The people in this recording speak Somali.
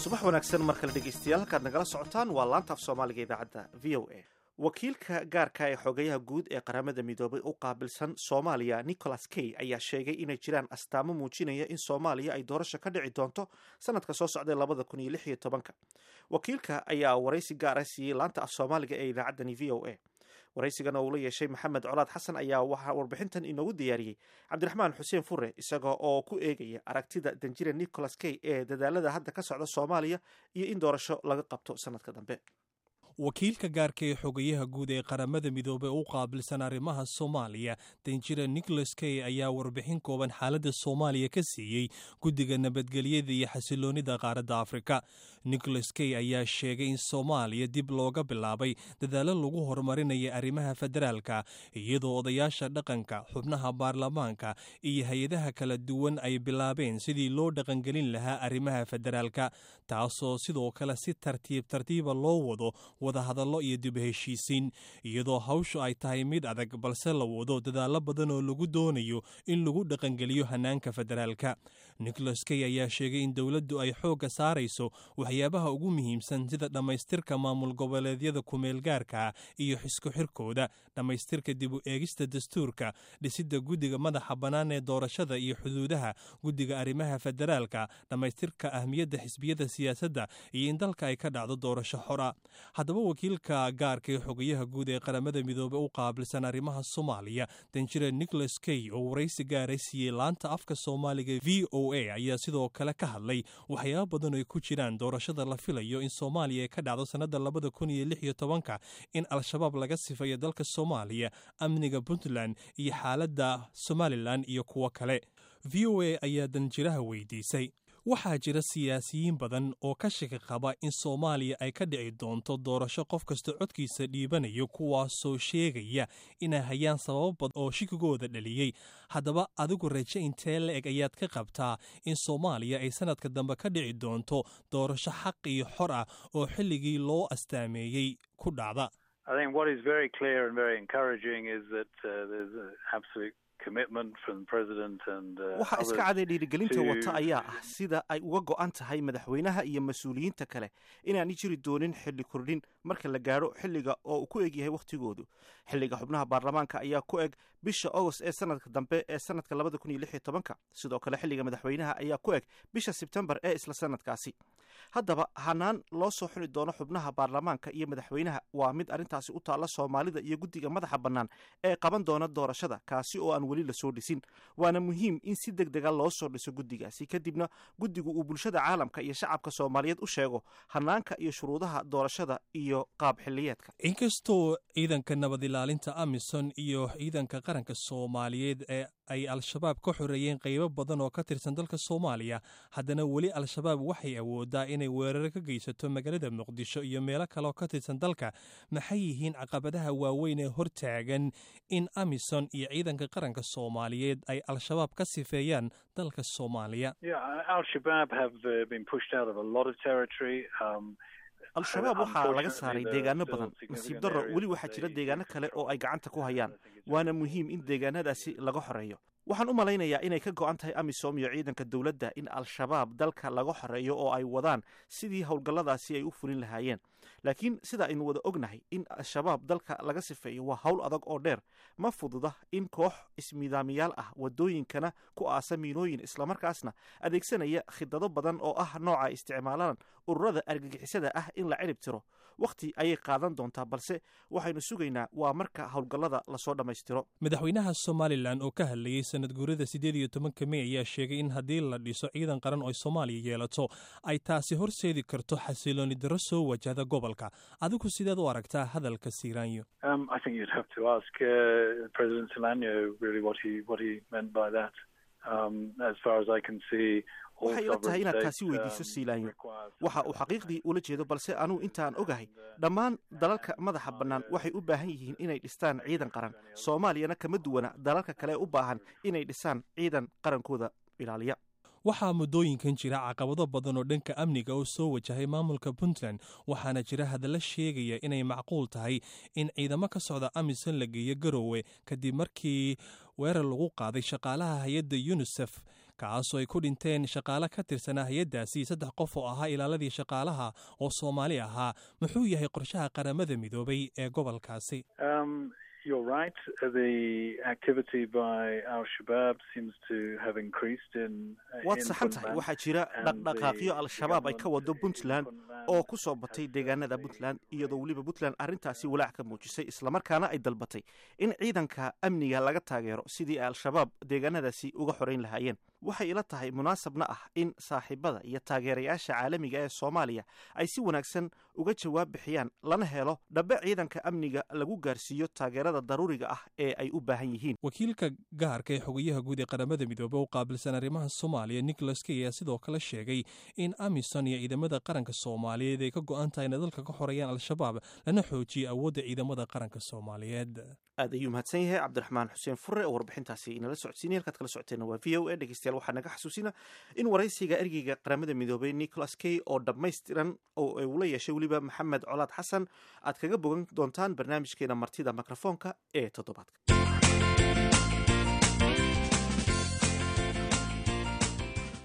Subax wanaagsan mar kale, dhegeystayaal. Halkaad nagala socotaan waa laanta af Soomaaliga, idaacadda VOA. Wakiilka gaarka ee xogayaha guud ee Qaramada Midoobay u qaabilsan Soomaaliya, Nicholas Kay, ayaa sheegay inay jiraan astaamo muujinaya in Soomaaliya ay doorasho ka dhici doonto sanadka soo socday 2016-ka. Wakiilka ayaa waraysi gaara siiyey laanta af Soomaaliga ee idaacaddani VOA. Waraysigan oo uu la yeeshay Maxamed Colaad Xasan ayaa waxaa warbixintan inoogu diyaariyey Cabdiraxmaan Xuseen Fure, isaga oo ku eegaya aragtida danjire Nicholas Kay ee dadaalada hadda ka socda Soomaaliya iyo in doorasho laga qabto sanadka dambe. Wakiilka gaarka ee xogayaha guud ee Qaramada Midoobey u qaabilsan arrimaha Soomaaliya, danjira Nicholas Kay, ayaa warbixin kooban xaaladda Soomaaliya ka siiyey Guddiga Nabadgelyada iyo Xasiloonnida Qaaradda Afrika. Nicholas Kay ayaa sheegay in Soomaaliya dib looga bilaabay dadaallo lagu horumarinaya arrimaha federaalka, iyadoo odayaasha dhaqanka, xubnaha baarlamaanka iyo hay-adaha kala duwan ay bilaabeen sidii loo dhaqangelin lahaa arrimaha federaalka, taasoo sidoo kale si tartiib tartiiba loo wado wadahadallo iyo dib heshiisiin, iyadoo hawshu ay tahay mid adag, balse la wado dadaallo badan oo lagu doonayo in lagu dhaqangeliyo hanaanka federaalka. Nicholas Kay ayaa sheegay in dowladdu ay xoogga saarayso waxyaabaha ugu muhiimsan, sida dhammaystirka maamul goboleedyada kumeelgaarka iyo xisku xirkooda, dhammaystirka dib u eegista dastuurka, dhisidda guddiga madaxa bannaan ee doorashada iyo xuduudaha, guddiga arrimaha federaalka, dhammaystirka ahmiyadda xisbiyada siyaasadda iyo in dalka ay ka dhacdo doorasho xora. Haddaba, wakiilka gaarka ee xogayaha guud ee Qaramada Midoobey u qaabilsan arrimaha Soomaaliya, danjire Nicholas Kay, oo waraysi gaara siiyey laanta afka Soomaaliga VOA, ayaa sidoo kale ka hadlay waxyaaba badan oo ay ku jiraan doorashada la filayo in Soomaaliya ay ka dhacdo sannadda 2016-ka, in Al-Shabaab laga sifayo dalka Soomaaliya, amniga Puntland iyo xaaladda Somaliland iyo kuwo kale. VOA ayaa danjiraha weydiisay: waxaa jira siyaasiyiin badan oo ka shaki qaba in Soomaaliya ay ka dhici doonto doorasho qof kasta codkiisa dhiibanayo, kuwaasoo sheegaya inay hayaan sababo badan oo shikigooda dhaliyey. Haddaba, adigu raje intee la eg ayaad ka qabtaa in Soomaaliya ay sanadka dambe ka dhici doonto doorasho xaq iyo xor ah oo xilligii loo astaameeyey ku dhacda? I think what is very clear and very encouraging is that there's an absolute commitment from the president and Waxa iska caday dhiirigelinta wata ayaa ah sida ay uga go'an tahay madaxweynaha iyo mas-uuliyiinta kale inaanay jiri doonin xilli kordhin marka la gaadho xilliga oo uu ku eg yahay wakhtigoodu. Xilliga xubnaha baarlamaanka ayaa ku eg bisha Agost ee sanadka dambe ee sanadka 2016-ka. Sidoo kale, xilliga madaxweynaha ayaa ku eg bisha Sebtembar ee isla sanadkaasi. Haddaba, hanaan loo soo xuli doono xubnaha baarlamaanka iyo madaxweynaha waa mid arrintaasi u taalla Soomaalida iyo guddiga madaxa bannaan ee qaban doona doorashada, kaasi oo aan weli lasoo dhisin. Waana muhiim in si deg dega loo soo dhiso guddigaasi, kadibna guddigu uu bulshada caalamka iyo shacabka Soomaaliyeed u sheego hanaanka iyo shuruudaha doorashada iyo qaab xilliyeedka. Inkastoo ciidanka nabad ilaalinta AMISOM iyo ciidanka qaranka Soomaaliyeed ee ay Al-Shabaab ka xoreeyeen qaybo badan oo ka tirsan dalka Soomaaliya, haddana weli Al-Shabaab waxay awoodaa inay weeraro ka geysato magaalada Muqdisho iyo meelo kaleoo ka tirsan dalka. Maxay yihiin caqabadaha waaweyn ee hortaagan in AMISOM iyo ciidanka qaranka Soomaaliyeed ay Al-Shabaab ka sifeeyaan dalka Soomaaliya? Al-Shabaab have been pushed out of a lot of territory. Al-Shabaab waxaa laga saaray deegaano badan. Nasiib darro, weli waxaa jira deegaano kale oo ay gacanta ku hayaan, waana muhiim in deegaanadaasi laga xoreeyo. Waxaan u malaynayaa inay ka go'an tahay AMISOM iyo ciidanka dowladda in Al-Shabaab dalka laga xoreeyo oo ay wadaan sidii howlgalladaasi ay u fulin lahaayeen. Laakiin sida aynu wada ognahay, in Al-Shabaab dalka laga sifeeyo waa hawl adag oo dheer. Ma fududa in koox ismidaamiyaal ah, wadooyinkana ku aasa miinooyin, islamarkaasna adeegsanaya khidado badan oo ah nooca ay isticmaalaan ururada argagixisada ah, in la cirib tiro. Wakhti ayay qaadan doontaa, balse waxaynu sugaynaa waa marka howlgallada lasoo dhammaystiro. Madaxweynaha Somaliland oo ka hadlayey sanad guurada 18-ka Mey ayaa sheegay in haddii la dhiso ciidan qaran oo Soomaaliya yeelato, ay taasi horseedi karto xasilooni darro soo wajahda gobolka. Adigu sideed u aragtaa hadalka Siilaanyo? I think you'd have to ask President Silanyo really what he meant by that. As far as I can see, Waxay ila tahay inaad taasi weydiiso Siilaanyo waxa uu xaqiiqdii ula jeedo, balse anugu intaan ogahay, dhammaan dalalka madaxa bannaan waxay u baahan yihiin inay dhistaan ciidan qaran. Soomaaliyana kama duwana dalalka kale u baahan inay dhisaan ciidan qarankooda ilaaliya. Waxaa muddooyinkan jira caqabado badan oo dhanka amniga oo soo wajahay maamulka Puntland, waxaana jira hadalla sheegaya inay macquul tahay in ciidamo ka socda AMISOM la geeyo Garowe, kadib markii weerar lagu qaaday shaqaalaha hay-adda UNISEF. Kaasoo ay ku dhinteen shaqaale ka tirsanaa hay-addaasi, 3 qof oo ahaa ilaaladii shaqaalaha oo Soomaali ahaa. Muxuu yahay qorshaha Qaramada Midoobay ee gobolkaasi? You're right. The activity by Al Shabaab seems to have increased in Waad saxan tahay. Waxaa jira dhaqdhaqaaqyo Al-Shabaab ay ka wado Puntland oo ku soo batay deegaanada Puntland, iyadoo weliba Puntland arrintaasi walaac ka muujisay, islamarkaana ay dalbatay in ciidanka amniga laga taageero sidii ay Al-Shabaab deegaanadaasi uga xorayn lahaayeen. Waxay ila tahay, munaasabna ah, in saaxiibada iyo taageerayaasha caalamiga ee Soomaaliya ay si wanaagsan uga jawaab bixiyaan, lana helo dhabe ciidanka amniga lagu gaarsiiyo taageerada daruuriga ah ee ay u baahan yihiin. Wakiilka gaarka ee xogayaha guud ee Qaramada Midoobey u qaabilsan arrimaha Soomaaliya, Nicholas Kay, ayaa sidoo kale sheegay in AMISOM iyo ciidamada qaranka Soomaaliyeed ay ka go'an tahay inay dalka ka xoreeyaan Al-Shabaab, lana xoojiyo awoodda ciidamada qaranka Soomaaliyeed. Aad ayuu mahadsan yahay Cabdiraxmaan Xuseen Fure oo warbixintaasi inala socodsiinay. Halkaad kala socoteena waa VOA. Dhegeystayaal, waxaa naga xasuusina in waraysiga ergeyga Qaramada Midoobay Nicholas Kay oo dhammaystiran oo ula yeeshay weliba Maxamed Colaad Xasan aad kaga bogan doontaan barnaamijkeena Martida Mikrofoonka ee toddobaadka.